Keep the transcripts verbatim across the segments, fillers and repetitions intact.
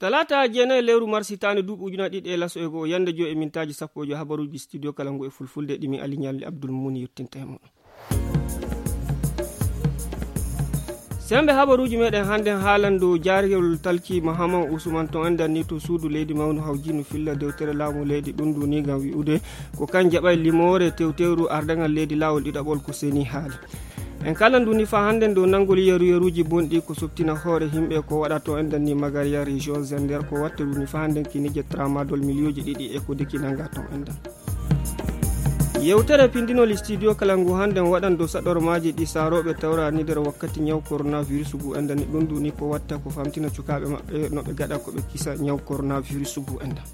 Talaata jeenayi lewru mars hitaande duuɓi ujunaaji ɗiɗi e laso e go'o, yannde joy e mintaaji sappo e joy, habaruuji studio kala ngu e fulfulde ɗi mi Ali Ñalli Abdul Muni yottinta e muɗum. Semmbe habaruuji meɗen hannden haalan dow jaargol talki Mahaman Usman to enɗan ni to suudu leydi mawnu hawjinu filla dewtere laamu leydi ɗum ndu ni ngam wi'ude ko kan jaɓay limoore tewtewru ardaŋal leydi laawol ɗiɗaɓol ko seni haali. En kala ndu ni fa hannden dow nanngol yeru yeruuji bonɗi ko softina hoore himɓe ko waɗa to enɗan ni Magariya région Zender ko watta ndu ni fa hannden kinije tramadol miliyooji ɗiɗi e ko deki nanga to enɗan. Yewtere pindinol studio kala ngu hannden waɗan dow saɗormaaji ɗi saarooɓe tawra ni nder wakkati ñaw coronavirus ngu enɗan ni ɗum ndu ni ko watta ko famtina cukaaɓe maɓɓe no ɓe gaɗa ko ɓe kisa ñaw coronavirus ngu enɗan.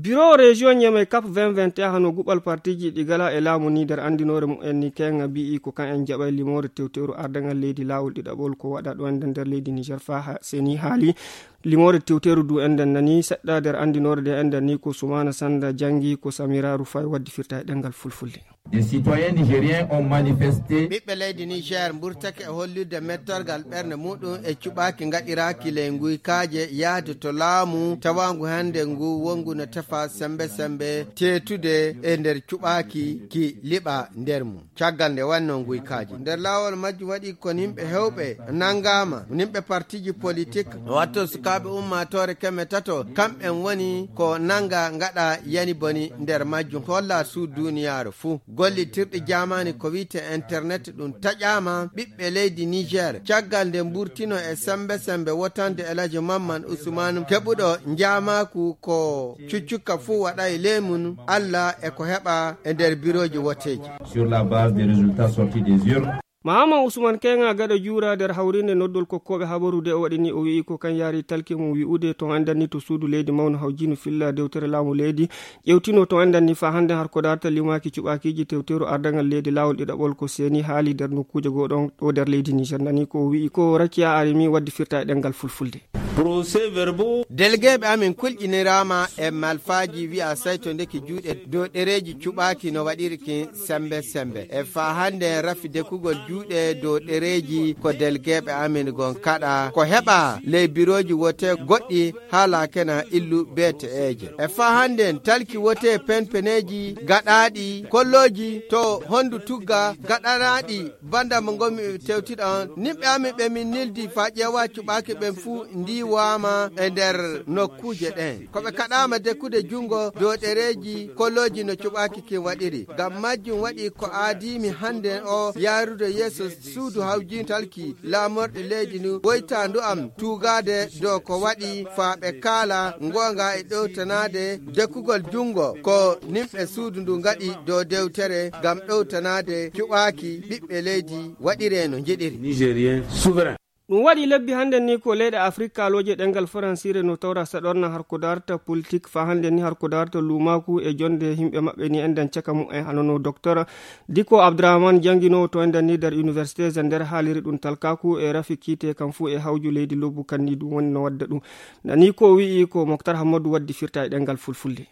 Biro région Niamey cap vingt vingt et un hano guɓal partiji ɗi gala e laamu ni nder anndinoore mumen ni kenga mbi'i ko kan en jaɓay limoore tewtewru ardaŋal leydi laawol ɗiɗaɓol ko waɗa ɗo enɗan nder leydi Niger fa ha seni haali. Limoore tewteeru du enɗan nani seɗɗa nder anndinoore nde enɗan ni ko Sumaana Sannda janngi ko Samira Rufay waddi firta e ɗemngal fulfulde. Des citoyens nigériens ont manifesté. Ɓiɓɓe leydi Niger mburtake e hollirde mettorgal ɓernde muɗum e cuɓaaki ngaɗiraaki ley nguykaaje yahde to laamu tawaangu hannde ngu wonngu no tefa sembe sembe teetude e nder cuɓaaki ki liɓa nder mum. Caggal nde wannoo nguykaaji nder laawol majjum waɗi kon yimɓe heewɓe nanngaama, yimɓe partiji politik, wato sukaaɓe ummaatoore keme tato, kamɓen woni ko nannga ngaɗa yani boni nder majjum holla suu duuniyaaru fuu. Gollitirɗi jaamaani ko wiyte internet ɗum taƴaama ɓiɓɓe leydi Niger caggal nde mburtino e sembe sembe wotande Elaji Mamman Usman keɓuɗo njaamaaku ko cuccukka fuu waɗa e ley mum Alla e ko heɓa e nder birooji woteeji. Sur la base des résultats sortis des urnes. Mahaman Usman Kenga gaɗa juura nder hawrinde noddol kokkooɓe habaru de o waɗi ni o wi'i ko kan yaari talki mum wi'ude to enɗan ni to suudu leydi mawnu hawjinu filla dewtere laamu leydi ƴewtino to enɗan ni fa hannde har ko darta limaaki cuɓaakiiji tewteeru ardaŋal leydi laawol ɗiɗaɓol ko seeni haali nder nokkuuje goo ɗon ɗo nder leydi Niger nani ko o wi'i ko Rakiya Arimi waddi firta e ɗemngal fulfulde. Procès-verbaux. Delegeeɓe amin kulƴiniraama e malfaaji wi'a sayto ndeki juuɗe dow ɗereeji cuɓaaki no waɗiri kin sembe sembe. E faa hannde rafi dekugol juuɗe dow ɗereeji ko delegeeɓe amin gon kaɗa ko heɓa ley birooji wote goɗɗi haala kena illu beete eeje. E faa hannde talki wote penpeneeji gaɗaaɗi kollooji to hondu tugga gaɗanaaɗi Banda mo ngomi tewtiɗo on, nimɓe amin ɓe min nildi faa ƴeewa cuɓaaki ɓen fuu ndiiwaama e nder nokkuuje ɗen. Ko ɓe kaɗaama dekkude junngo dow ɗereeji kolooji no cuɓaaki kin waɗiri. Ngam majjum waɗi ko aadiimi hannden o yaarude yeeso suudu hawjintalki laamorɗi leydi ndin woytaandu am tuugaade dow ko waɗi faa ɓe kaala ngoonga e ɗowtanaade dekkugol junngo ko nimɓe suudu ndu ngaɗi dow dewtere ngam ɗowtanaade cuɓaaki ɓiɓɓe leydi waɗiree no njiɗiri. Nigérien souverain. Ɗum waɗi lebbi hannden ni ko leyɗe Afrik kaalooje ɗemngal faransiire no tawra saɗorna har ko darta politik faa hannden ni har ko darta luumaaku e jonnde yimɓe maɓɓe ni enɗan caka mumen hano no Doktor Diko Abdrahman jannginoowo to enɗan ni nder Université Zander haaliri ɗum talkaaku e rafi kiite kam fuu e hawju leydi lobbu kan ni ɗum woni no wadda ɗum. Nani ko wi'i ko Moktar Hammadu waddi firta e ɗemngal fulfulde.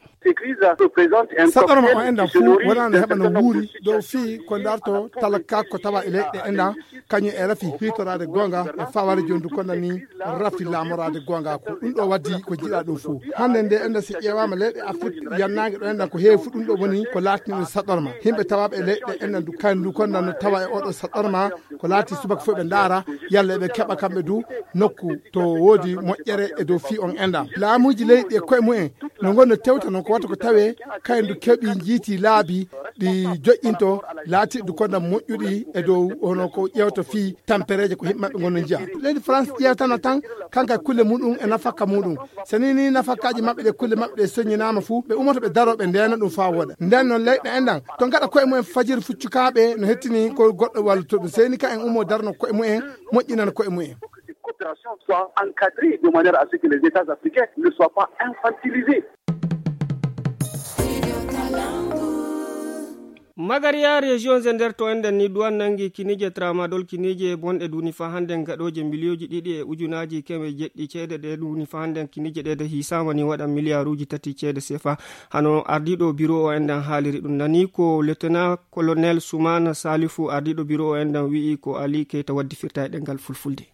Saɗorma o enɗan fuu wonano heɓa no wuuri dow fii ko darto talkaaku ko tawa e leyɗe enɗan kañum e rafi hiitoraade goonga e fawaade jooni ndu konda ni rafi laamoraade goonga ko ɗum ɗo waddi ko jiɗa ɗum fuu. Hannde nde enɗan si ƴeewaama leyɗe Afrik yannaange ɗo enɗan ko heewi fuu ɗum ɗo woni ko laatini ɗum saɗorma. Yimɓe tawaaɓe e leyɗe enɗan ndu kañum ndu konda no tawa e oɗo saɗorma ko laati subaka fof ɓe ndaara yalla eɓe keɓa kamɓe du nokku to woodi moƴƴere e dow fii on enɗan. Laamuuji leyɗi e koye mumen no ngonno tewta noon ko wata ko tawee kayen du keɓi njiiti laabi ɗi joƴƴinto laatiɗi du konda moƴƴuɗi e dow hono ko ƴeewta fii tampereeje ko yimɓe maɓɓe ngonno njiya. Leydi France ƴeewtano tan kanka kulle muɗum e nafakka muɗum. So nii nii nafakkaaji maɓɓe ɗe kulle maɓɓe ɗe soññinaama fuu ɓe umoto ɓe daroo ɓe ndeena ɗum faa wooɗa. Nden noon leyɗe enɗan to ngaɗa koye mumen fajiri fuccukaaɓe no hettini ko goɗɗo walluto ɗum. Seyni ka en ummo darno koye mumen moƴƴinana koye mumen. Soit encadré de manière à ce que les États africains ne soient pas infantilisés. Magariya région Zender to enɗan ni duwan nangi kinije tramadol kinije bonɗe duni fa hande gaɗoje miliyonji ɗiɗi e ujunaaji keme jeɗɗi ceede ɗe duni fa hande kinije ɗe de hisama ni waɗa miliyaaruji tati ceede sefa. Hano ardiɗo biro o enɗan haaliri ɗum nani ko lieutenant colonel Soumana Salifou ardiɗo biro o enɗan wi'i ko Ali Keita waddi firta e ɗemngal fulfulde.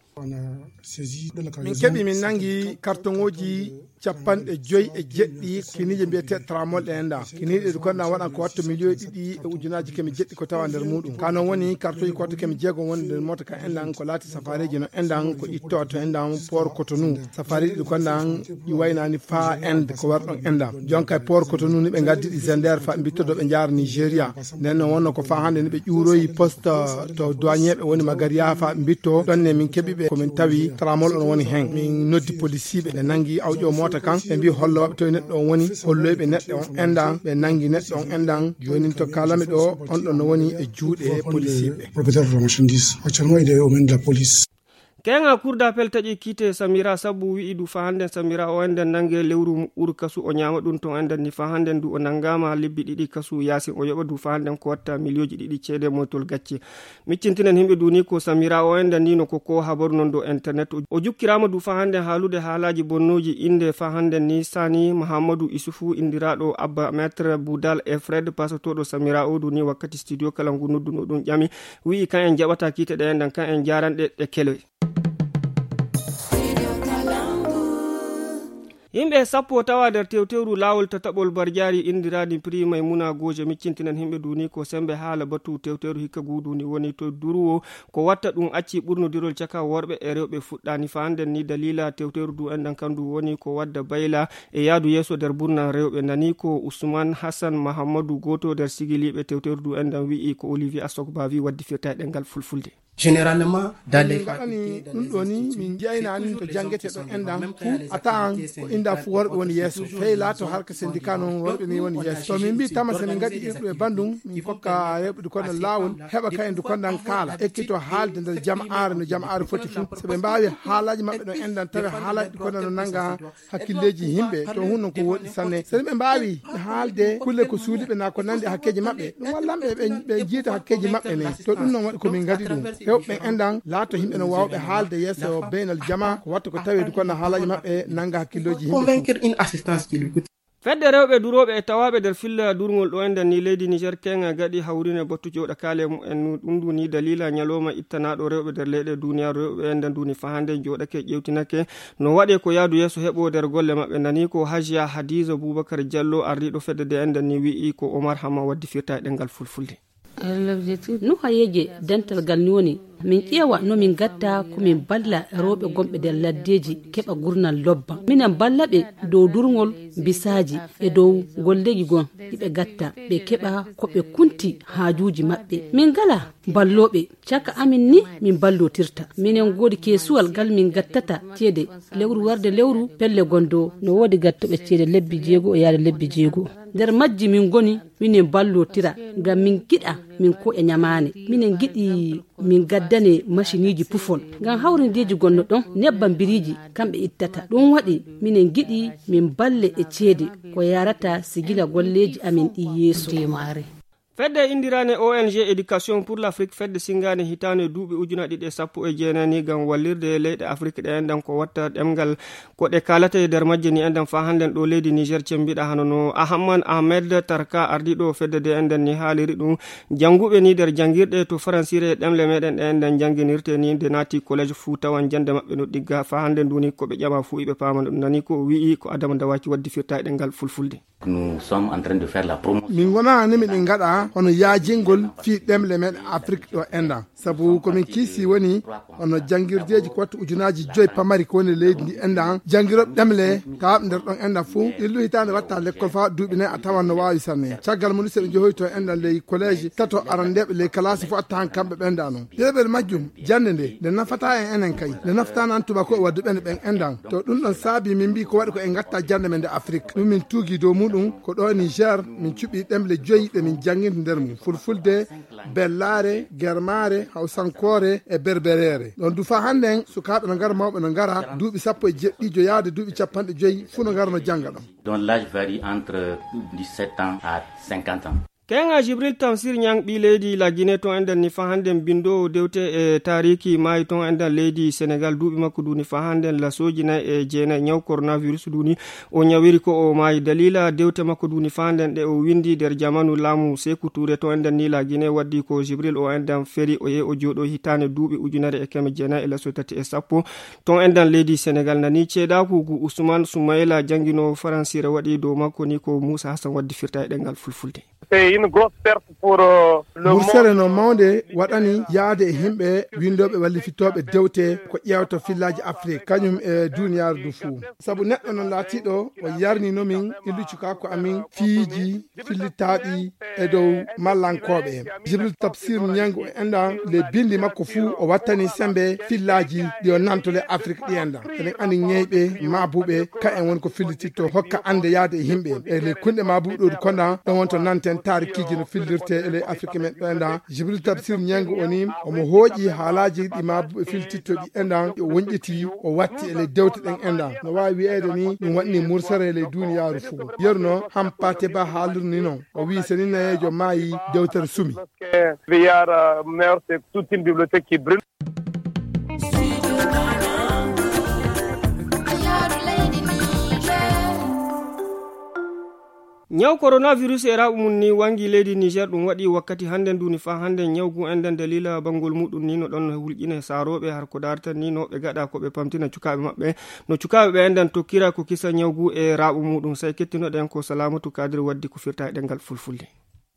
Min keɓi, min nangi kartoŋooji capanɗe joy e jeɗɗi kiniije mbiyeteeɗe tramol ɗe enɗan. Kiniije ɗe konɗan waɗan ko watta miliyoŋ ɗiɗi e ujunaaji keme jeɗɗi ko tawa nder muuɗum. Ka non woni kartoŋooji ko watta keme jeegom woni nder moota kan enɗan, ko laati safaareeji no enɗan ko itto to enɗan Port Cotonou. Safaareeji ɗi konɗan ɗi waynaani faa Inde ko wari ɗon enɗan. Jon kay Port Cotonou ni ɓe ngaddi ɗi Zender fa mbitto ɗo ɓe njaara Nigeria. Nden non wonno ko faa hannde ni ɓe ƴuuroyi poste to douanier ɓe woni Magaria fa mbitto. Ɗon ne min keɓi ɓe ko min tawi tramol on woni hen. Min noddi policiiɓe, ɓe nangi awƴo moota kan. Ɓe mbi hollo waɓe toye neɗɗo on woni. Holloyi ɓe neɗɗo on enɗan. Ɓe nangi neɗɗo on enɗan. Jooni to kaalami ɗo, on ɗon no woni e juuɗe policiiɓe. Propriétaire de la marchandise. Actuellement, il est aux mains de la police. Keŋa Cour d'appel taƴi kiite Samira sabu wi'i du fa hannden Samira o enɗan nange lewru muɓɓuru kasu o ñaama ɗum ton enɗan ni fa hannden du o nangaama lebbi ɗiɗi kasu yaasin o yoɓa du fa hannden ko watta miliyooji ɗiɗi ceede moytol gacce. Miccintinen himɓe duni ko Samira o enɗan ni no ko ko habaru non do internet. O jukkiraama du fa hannden haalude haalaaji bonnooji innde fa hannden ni Sani Mahammadu Isufu indiraaɗo Abba Maître Boudal e Fred pasotooɗo Samira o duni wakkati studio kala ngu nodduno ɗum ƴami. Wi'i kan en jaɓata kiite ɗe enɗan kan en jaranɗe ɗe kele. Yimɓe sappo tawa nder tewtewru laawol tataɓol barjaari indirani prix Maymuna Gooje. Miccintinan himɓe duni ko sembe haala batu tewtewru hikka guduni woni to durwo ko watta ɗum acci ɓurnodirol caka worɓe e rewɓe fuɗɗani fa hannden ni dalila tewtewru du enɗan kandu woni ko wadda bayla e yaadu yeeso nder burna rewɓe nani ko Usman Hassan Mahammadu gooto nder sigiliiɓe tewtewru du enɗan wi'i ko Olivier Asogbavi waddi firta e ɗengal fulfulde. Généralement, dans les... Min ngaɗani ɗum ɗo ni min jeynaani to janngetee ɗo enɗan fuu a tawan ko inda fuu worɓe woni yeeso fey laato harka syndicat noon worɓe ni woni yeeso to min mbi tama so min ngaɗi irɗu e banndum min kokka rewɓe du konɗan laawol heɓa kayen du konɗan kaala ekkito haalde nder jama'aare no jama'aare foti fuu so ɓe mbaawi haalaaji maɓɓe ɗo enɗan tawi haalaaji du konɗan no nannga hakkilleeji yimɓe to hun non ko woɗɗi sanne so ɓe mbaawi haalde kulle ko suuliɓe na ko nandi hakkeeji maɓɓe ɗum wallan ɓe ɓe jiita hakkeeji maɓɓe ne to ɗum non waɗi ko min ngaɗi ɗum hewɓe enɗan laato yimɓe no waawɓe haalde yeeso beynal jama ko watta ko taweede kono haalaaji maɓɓe nanga hakkillooji yimɓe convaincre une assistance qui lui coûte. Fedde rewɓe durooɓe e tawaaɓe nder filla durngol ɗo enɗan ni leydi Niger keŋa gaɗi hawrine battu jooɗa kaale mumen ɗum ndu ni dalila ñalawma ittanaaɗo rewɓe nder leyɗe duniyaaru rewɓe enɗan ndu ni fa hannde jooɗake ƴewtinake no waɗe ko yaadu yeeso heɓo nder golle maɓɓe nani ko Hajiya Hadiza Bubakar Jallo ardiiɗo fedde de enɗan ni wi'i ko Omar Hama waddi firta e ɗengal fulfulde. Nuhayeeje dental gal ni woni min ƴeewa no min gatta ko min balla rewɓe gonɓe nder laddeeji keɓa gurnal lobba minen balla ɓe dow durngol bisaaji e dow golleeji gon ɗi ɓe gatta ɓe keɓa ko ɓe kunti haajuuji maɓɓe min ngala ballooɓe caka amin ni min ballotirta minen ngoodi keesuwal gal min gattata ceede lewru warde lewru pelle gondo no woodi gattoɓe ceede lebbi jeego e yaade lebbi jeego nder majji min ngoni minen ballotira ngam min giɗa min ko e ñamaane minen giɗi min gaddane maciniiji pufol ngam hawrindeeji gonno ɗon nebbam biriiji kamɓe ittata ɗum waɗi minen giɗi min balle e ceede ko yarata si gila golleeji amin ɗi yeeso. Fedde indirane O N G Éducation pour l'Afrique fedde singane hitande duuɓi ujuna ɗiɗi e sappo e jeenani ngam wallirde leyɗe Afrik ɗe enɗan ko watta ɗemngal ko ɗe kaalata e nder majje ni enɗan fa hannden ɗo leydi Niger cembiɗa hano no Ahamman Ahmed Tarka ardiɗo fedde de enɗan ni haaliri ɗum jannguɓe ni nder janngirɗe to faransire e ɗemle meɗen ɗe enɗan jannginirte ni nde naati collège fuu tawan jannde maɓɓe no ɗigga fa hannden duni ko ɓe ƴama fuu iɓe paama ɗum nani ko wi'i ko Adama Dawaki waddi firta e ɗemngal fulfulde. Nous sommes en train de faire la promotion. Min wona ni miɗen ngaɗa hono yaajingol fii ɗemle men Afrik ɗo enɗan sabu ko min kiisi woni hono janngirdeeji ko wattu ujunaaji joyi pamari ko woni leydi ndi enɗan janngiroɓe ɗemle tawaaɓe nder ɗon enɗan fuu illu hitaande watta lekkol faa duuɓi nayi a tawan no waawi sanne caggal mum so ɓe njehoyi to enɗan ley collége tato arandeeɓe ley kalaasi fuu a tawan kamɓe ɓenɗa non deeɓel majjum jannde nde nde nafata en enen kay nde nafata nan tubako e wadduɓe nde ɓen enɗan to ɗum ɗon saabi min mbi ko waɗi ko en gatta jannde men nde Afrik ɗum min tuugi dow muɗum ko ɗo Niger min cuɓi ɗemle joyi ɗe min janngirta nder mum fulfulde bellaare germaare hawsankoore e berbereere ɗon du faa hannden sukaaɓe no ngara mawɓe no ngara duuɓi sappo e jeɗɗijo yaade duuɓi capanɗe joyi fuu no ngara no jannga ɗon. Dont l'âge varie entre dix-sept ans à cinquante ans. Keŋa Jibril Tamsir Ñaŋ, ɓii leydi La Guinée, toon enɗen ni faa hannden binndoowo dewte e taariiki maayi toon enɗen leydi Senegal, duuɓi makko duu ni faa hannden lasooji nay e jeenay. Ñaw coronavirus duu ni o ñawiri ko o maayi. Daliila dewte makko duu ni faa hannden ɗe o winndi nder jamaanu laamu Seeku Tuure toon enɗen ni La Guinée, waddi ko Jibril o enɗen feri o yehi o jooɗo hitaande duuɓi ujunere e keme jeenay e laso tati e sappo. Toon enɗen leydi Senegal nani ceedaaku gu Usman Sumayla jannginoowo faransiire waɗi dow makko ni ko Muusa Hasan waddi firta e ɗemngal fulfulde. C'est une grosse perte pour, euh, le Mursere monde. No mawnde waɗani yaade e yimɓe winndooɓe wallifitooɓe dewte ko ƴeewta fillaaji Afrik, kañum e duuniyaaru ndu fuu. Sabu neɗɗo noon laatiiɗo o yarnino min illu cukaaku amin fiiji fillitaaɗi e dow mallankooɓe. Jibril Tafsir Ñaŋ o enɗan le binndi makko fuu o wattani semmbe fillaaji ɗi o nanto le Afrik ɗi enɗan. Eɗen anndi ñeyɓe maabuɓe ka en woni ko fillititto hokka annde yaade e yimɓe. E le kunɗe maabuɓe ɗo konɗan ɗon wonto nanten taarikiiji no fillirte e le Afrik men ɗo enɗan. Jibril Tafsir Ñaŋ o ni omo hooƴi haalaaji ɗi maabuɓe fillititto ɗi enɗan o wonƴiti o watti e le dewte ɗen enɗan. No waawi wiyeede ni ɗum waɗni mursere e le duuniyaaru fuu. Yeru no Hampate Ba haalirni noon. O wiyi so ni nayeejo maayi dewtere sumi. Villard, euh, meurt, c'est toute une bibliothèque qui brûle. Ñaw coronavirus e raaɓu mum ni wangi leydi Niger, ɗum waɗi wakkati hannden duni faa hannden ñawgu enɗan daliila banngol muɗum ni no ɗon hulƴina saarooɓe har ko daartan ni no ɓe gaɗa ko ɓe pamtina cukaaɓe maɓɓe. No cukaaɓe ɓe enɗan tokkira ko kisa ñawgu e raaɓu muɗum. Say kettinoɗen ko Salamatu Kadir waddi ko firta e ɗemngal fulfulde.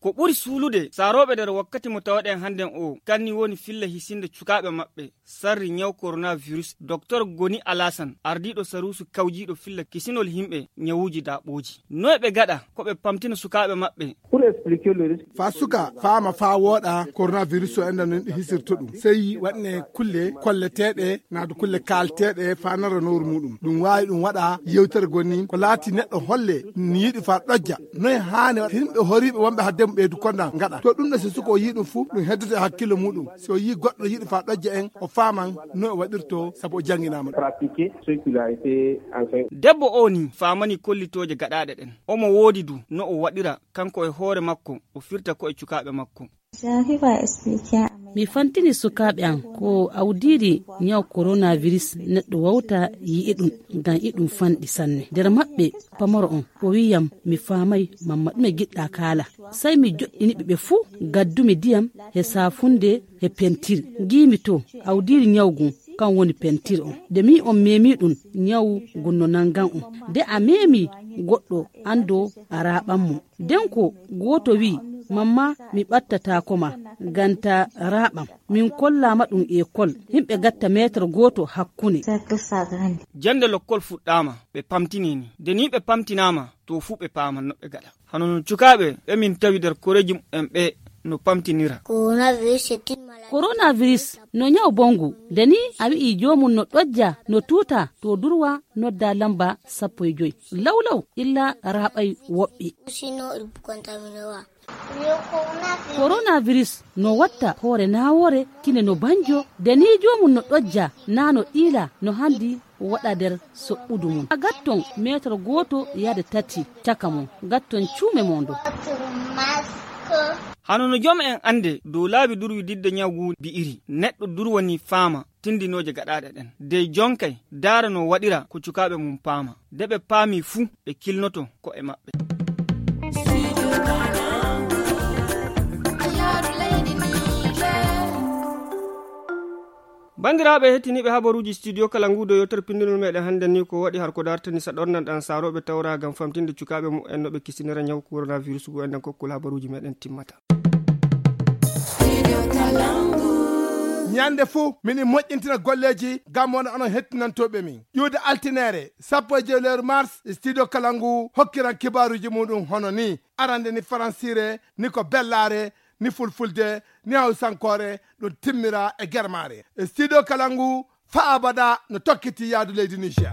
Ko ɓuri suulude saarooɓe nder wakkati mo tawaɗen hannden o, kanni woni filla hisinde cukaaɓe maɓɓe sarri ñaw coronavirus. Doktor Goni Alasan, ardiiɗo saruusu kawjiiɗo filla kisinol yimɓe ñawuuji daaɓooji. Noy ɓe gaɗa ko ɓe pamtina sukaaɓe maɓɓe? Faa suka faama faa wooɗa coronavirus o enɗan no hisirta ɗum. Sey waɗne kulle kolleteeɗe, naadu kulle kaalteeɗe faa nara nooru muɗum. Ɗum waawi ɗum waɗa yewtere goni ko laati neɗɗo holle ni yiɗi faa ɗojja. Noy haani waɗa yimɓe horiiɓe wonɓe hadde mum ɓeydu konɗan ngaɗa. To ɗum ɗo si suka o yii ɗum fuu, ɗum heddoto e hakkillo muɗum. Si o yii goɗɗo yiɗi faa ɗojja en, o faaman no o waɗirto sabu o jannginaama ɗum. Debbo o ni faamani kollitooje gaɗaaɗe ɗen. Omo woodi du no o waɗira kanko e hoore makko, o firta ko e cukaaɓe makko. Mi fantini sukaaɓe am ko awdiiri ñaw coronavirus neɗɗo wawta yi'i ɗum, ngam iɗum fanɗi sanne. Nder maɓɓe pamaro on o wi'iyam, "Mi faamay mamma ɗume giɗɗa kaala." Sey mi joɗɗini ɓe ɓe fuu, gaddumi ndiyam e saafunde e pentir. Ngiimi to awdiiri ñaw ngun kan woni pentir on. Nde mi on meemi ɗum, ñaw ngun no nangan on. Nde a meemi goɗɗo, anndo a raaɓan mo. Nden ko gooto wi'i, "Mamma, mi ɓattataako ma, ngam ta raaɓam." Min kollaama ɗum ekol. Yimɓe gatta meetar gooto hakkune. Jannde lokkol fuɗɗaama, ɓe pamtini ni. Nde ni ɓe pamtinaama, to fuu ɓe paaman no ɓe gaɗa. Hano no cukaaɓe ɓe min tawi nder koreeji mumen ɓe no pamtinira. Coronavirus, c'est une maladie. Coronavirus no ñaw bongu. Nde ni a wi'i joomum no ɗojja, no tuuta, to durwa nodda lamba sappo e joy. Lawlaw illa raaɓay woɓɓe. Sinon, il peut contaminer wa. Coronavirus no watta hoore naawoore, kine no banjo, nde ni joomum no ɗojja, naa no ɗiila, no handi waɗa nder soɓɓudu mum. A gatton meetar gooto yaade tati caka mum, gatton cuume mon ɗo. Hano no joom en annde dow laabi durwi didde ñaw ngu bi'iri, neɗɗo durwani faama tindinooje gaɗaaɗe ɗen. Dey jonkay daara no waɗira ko cukaaɓe mum paama. Nde ɓe paami fuu, ɓe kilnoto ko e maɓɓe. Banndiraaɓe hettiniiɓe habaruuji studio kala ngu do yewtere pinndinol meɗen hannde ni ko waɗi har ko dartani sa ɗornan ɗan saarooɓe tawra ngam famtinde cukaaɓe mumen no ɓe kisinira ñaw coronavirus ngu enden kokkol habaruuji meɗen timmata. Ñande fuu, miɗen moƴƴintina golleeji ngam wona onon hettinantooɓe min. Ƴuwde altineere, sappo e joy lewru mars, studio kala ngu hokkiran kibaaruuji muɗum hono ni. Arande ni faransiire, ni ko bellaare, ni fulfulde, ni hawsankoore, ɗum timmira e germaare. E studio kala ngu, faa abada no tokkiti yaadu leydi Niger.